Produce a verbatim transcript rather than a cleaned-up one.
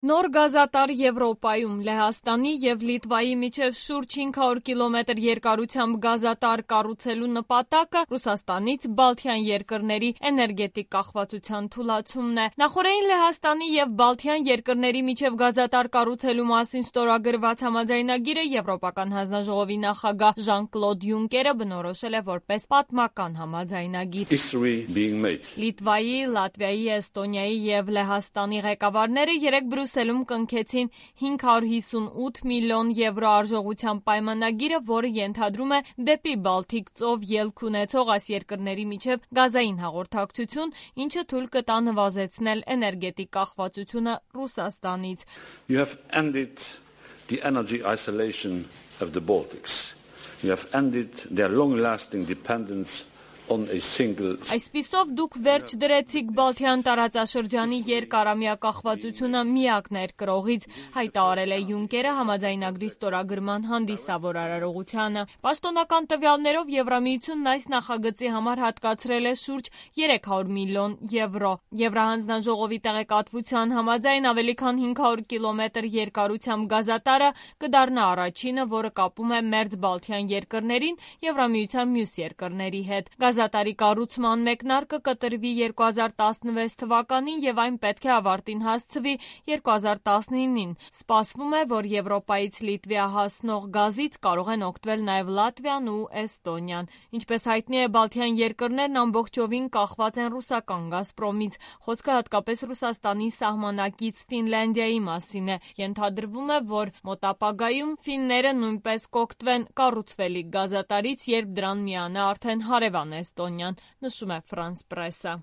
Նոր գազատար Եվրոպայում Լեհաստանի և Լիտվայի միջև շուրջ հինգ հարյուր կիլոմետր երկարությամբ գազատար կառուցելու նպատակը Ռուսաստանից Բալթյան երկրների էներգետիկ կախվածության թուլացումն է։ Նախօրեին Լեհաստանի և Բալթյան երկրների միջև գազատար կառուցելու մասին ստորագրված համաձայնագիրը Եվրոպական հանձնաժողովի նախագահ Ժան-Կլոդ Յունկերը բնորոշել է որպես պատմական համաձայնագիր։ Լիտվայի, Լատվիայի, Էստոնիայի և Լեհաստանի ղեկավարները երեկ Բրյուսելում կնքեցին հինգ հարյուր հիսունութ միլիոն եվրո արժողությամբ պայմանագիրը, որը ենթադրում է դեպի Բալթիկ ծով ելք ունեցող այս երկրների միջև գազային հաղորդակցություն, ինչը թույլ կտա նվազեցնել էներգետիկ կախվածությունը Ռուսաստանից։ You have ended the energy isolation of the Baltics. You have ended their long-lasting dependence on a single. Այսպիսով դուք վերջ դրեցիք Բալթյան տարածաշրջանի երկարամյա կախվածությունը միակ ներկրողից, հայտարարել է Յունկերը համաձայնագրի ստորագրման հանդիսավոր արարողությանը։ Պաշտոնական տվյալներով Եվրամիությունն այս նախագծի համար հատկացրել է շուրջ երեք հարյուր միլիոն եվրո։ Եվրահանձնաժողովի տեղեկատվության համաձայն ավելի քան հինգ հարյուր կիլոմետր երկարությամբ գազատարը կդառնա առաջինը, որը կապում է մերձ Բալթյան երկրներին Եվրամիության մյուս երկրների հետ։ Գազատարի կառուցման մեկնարկը կտրվի երկու հազար տասնվեց թվականին և այն պետք է ավարտին հասցվի երկու հազար տասնինին։ Սպասվում է, որ Եվրոպայից Լիտվա հասնող գազից կարող են օգտվել նաև Լատվիան ու Էստոնիան։ Ինչպես հայտնի է, Բալթյան երկրներն ամբողջովին կախված են ռուսական Գազպրոմից։ Խոսքը հատկապես Ռուսաստանի սահմանակից Ֆինլանդիայի մասին է։ Ենթադրվում է, որ մոտ ապագայում ֆինները նույնպես կօգտվեն կառուցվելիք գազատարից, երբ դրան միանա արդեն հարևան Էստոնիան, նշում է Ֆրանս պրեսը։